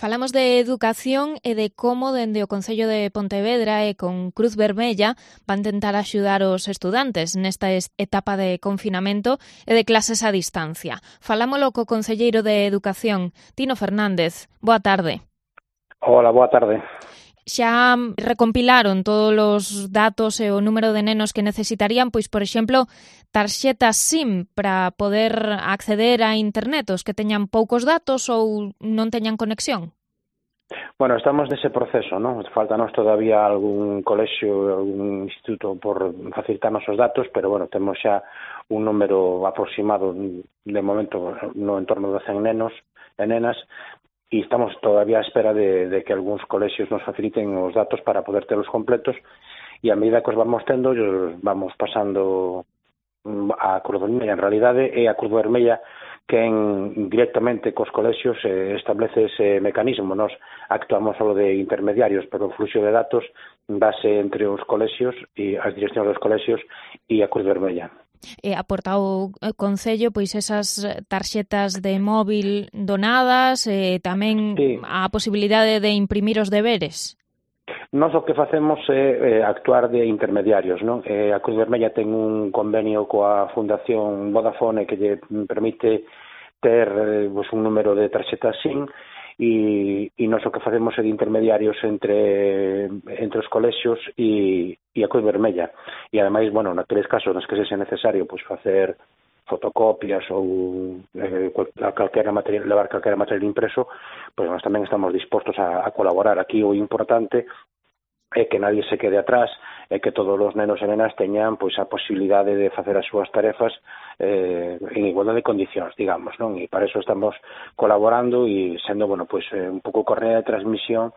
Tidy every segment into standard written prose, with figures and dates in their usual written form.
Falamos de educación e de como dende o Concello de Pontevedra e con Cruz Vermella van tentar axudar os estudantes nesta etapa de confinamento e de clases a distancia. Falámolo co concelleiro de Educación, Tino Fernández. Boa tarde. Hola, boa tarde. Xa recompilaron todos os datos e o número de nenos que necesitarían, pois, por exemplo, tarxetas SIM para poder acceder a internet, os que teñan poucos datos ou non teñan conexión? Bueno, estamos nese proceso, non? Faltanos todavía algún colexio, algún instituto por facilitarnos os datos, pero, bueno, temos xa un número aproximado de momento no entorno de 100 nenos e nenas, e estamos todavía á espera de que algúns colexios nos faciliten os datos para poder telos completos, e a medida que os vamos tendo, os vamos pasando a Cruz Vermella. En realidade é a Cruz Vermella quen directamente cos colexios establece ese mecanismo. Nos actuamos solo de intermediarios, pero o fluxo de datos dase entre os colexios e as direccións dos colexios e a Cruz Vermella. Aporta o Concello pois esas tarxetas de móvil donadas e tamén sí, a posibilidade de imprimir os deberes. Nós o que facemos é actuar de intermediarios, non? A Cruz Vermella ten un convenio coa Fundación Vodafone que lle permite ter un número de tarxetas SIM e nós o que facemos é de intermediarios entre os colexios e a Cruz Vermella. E ademais, bueno, naqueles casos nos que sexa necesario pois facer fotocopias ou levar calquera material impreso, pois nós tamén estamos dispostos a colaborar. Aquí o importante é que nadie se quede atrás, é que todos os nenos e nenas teñan pois a posibilidade de facer as súas tarefas en igualdade de condicións, digamos, non? E para eso estamos colaborando e sendo, bueno, pois un pouco correa de transmisión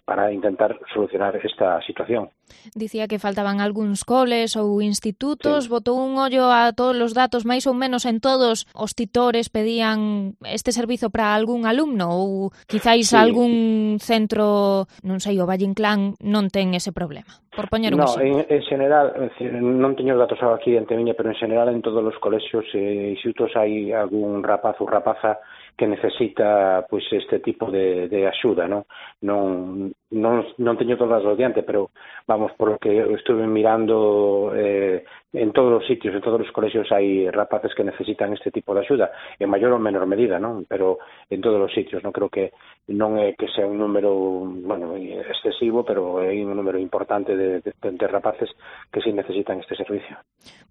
para intentar solucionar esta situación. Dicía que faltaban algúns coles ou institutos, sí. Botou un ollo a todos os datos, máis ou menos en todos os titores pedían este servizo para algún alumno ou quizáis sí, algún centro, non sei, o Valle Inclán non ten ese problema, por poñer un exemplo. En general, non teño os datos aquí ante miña, pero en general en todos os colexios e institutos hai algún rapaz ou rapaza que necesita pois este tipo de axuda, non? Non teño todas as diante, pero vamos, por lo que estuve mirando en todos os sitios, en todos os colexios hai rapaces que necesitan este tipo de axuda, en maior ou menor medida, non? Pero en todos os sitios, non creo que non é que sea un número, bueno, excesivo, pero é un número importante de rapaces que sí necesitan este servicio.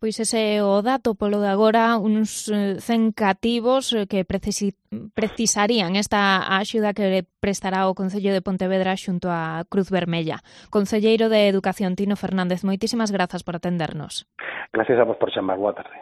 Pois ese é o dato polo de agora, uns 100 cativos que precisarían esta axuda que prestará o Concello de Pontevedra xunto a Cruz Vermella. Concelleiro de Educación, Tino Fernández, moitísimas grazas por atendernos. Gracias a vos por chamar, boa tarde.